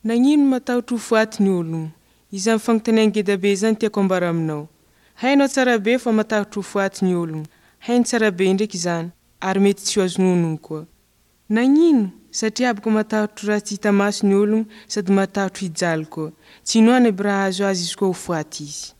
Nagnino matahotry ho faty ny ologno? Izany fagnotania ngeda be izany tiako ambara aminao. Hainao tsara be fa matahotry ho faty ny ologno, hainy tsara be ndraiky izany ary mety tsy ho azony onogno koa. Nagnino? Satria boka matahotry raha tsy hita maso ny ologno sady matahotry hijaly koa. Tsy inoany aby raha ahazo azy izy koa ho faty izy.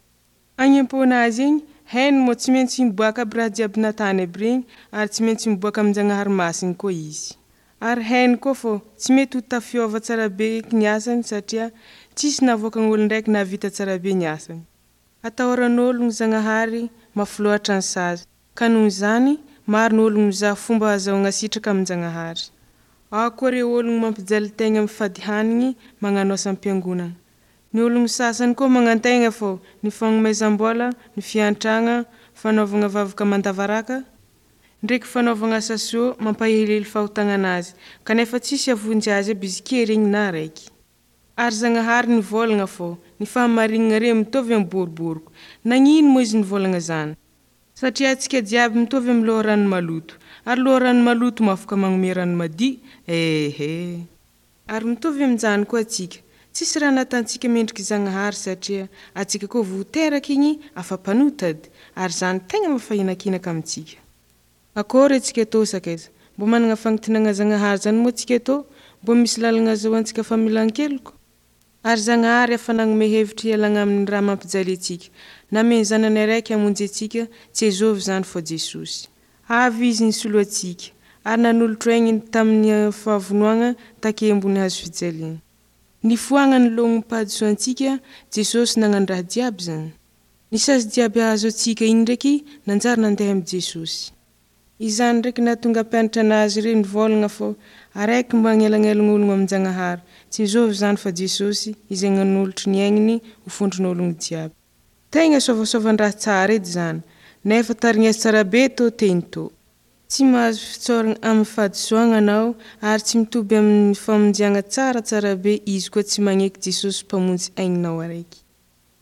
Agny amponazy agny, hainy moa tsy maintsy miboaky aby raha jiaby natany aby regny ary tsy maintsy miboaky amin-jagnahary masigny koa izy. Ary hainy koa fô tsy mety ho tafiova tsara be eky ny asany satria tsisy navoakan'olondraiky nahavita tsara be ny asany. Atahoran'ologno Zagnahary, mafy loatra ny sazy ka noho izany maro ny ologno mizaha fomba ahazoana sitraka amin-jagnahary. Ao koa reo ologno mampijaly tegna mifady hanigny magnano asa ampiangonana. Ny ologno sasany koa magnantegna fô ny fagnomezam-bola, ny fiantrana, fanaovana vavaka mandavaraka ndraiky fanaovana asa soa mampahelihely fahotagnanazy kanefa tsisy hahavonjy azy aby izy regny na raiky. Ary Zagnahary nivolagna fô ny fahamarignanareo mitovy amy boroboroky. Nagnino moa izy nivolagna zany? Satria atsika jiaby mitovy amy loharano maloto. Ary loharano maloto moa afaky magnome rano madio? Ehe. Ary mitovy amin'izany koa atsika, tsisy raha nataontsika mendriky Zagnahary satria atsika koa vo teraky igny afa mpanota edy ary izany tegna mampifahinakinaka amitsika. Akory atsika tô sakaiza? Mba manana fagnantenana Zagnahary zany moa atsika tô? Mba misy lalana azahoantsika famelan-keloky? Ary Zagnahary efa nagnome hevitry hialana amin'ny raha mampijaly atsika. Nameny zanany araiky hamonjy atsika, tsy azovy zany fa Jesosy. Avy izy nisolo atsika ary nanolotry aigniny tamin'ny fahavonoana take ambony hazo fijaliana. Nifoagnany lognom-pahadisoantsika, Jesosy nagnano raha jiaby zany. Ny sazy jiaby ahazo atsika igny ndraiky nanjary nandeha amy Jesosy. Izany ndraiky nahatonga mpianatra anazy reo nivolagna fô araiky magnelagnelana amin-jagnahary, tsy azovy zany fa Jesosy izay nanolotry ny aigniny ho fondron'ologno jiaby. Tegna sovasovan-draha tsara edy zany nefa tarigneso tsara be tô teny tô. Tsy mahazo fitsaorana amy fahadisoana anao ary tsy mitoby amy famonjeana tsara tsara be izy koa tsy magneky Jesosy mpamonjy aigninao araiky.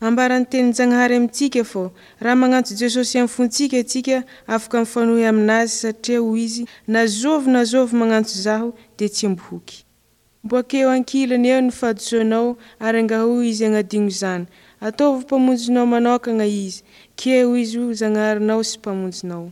Ambaran'ny tenin-jagnahary amitsika fô raha magnantso Jesosy amy fontsika atsika afaka mifanohy aminazy satria hoy izy na zovy na zovy magnantso zaho de tsy ambohoky. Mboakeo ankilany eo ny fahadisoanao ary angahao izy hagnadigno izany. Ataovy mpamonjinao manokana izy, keo izy ho Zagnaharinao sy mpamonjinao.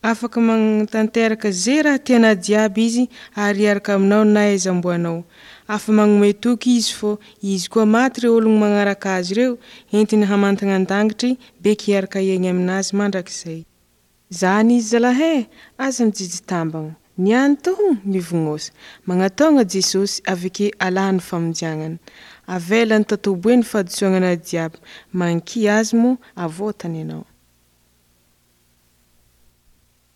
Afaka magnantanteraka ze raha tianao jiaby izy ary hiaraka aminao na aiza ombanao. Afa magnome toky izy fô izy koa maty reo olo magnaraky azy reo entiny hamantana andagnitry beky hiaraka hiaigny aminazy mandrakizay. Zany izy zalahy e! Aza mijijy tambagna. Niany to mivognosa. Magnatogna Jesosy aveke alany famonjiagnany. Avelany tatobo eo ny fahadisoanao jiaby. Magnekia azy moa avotany anao.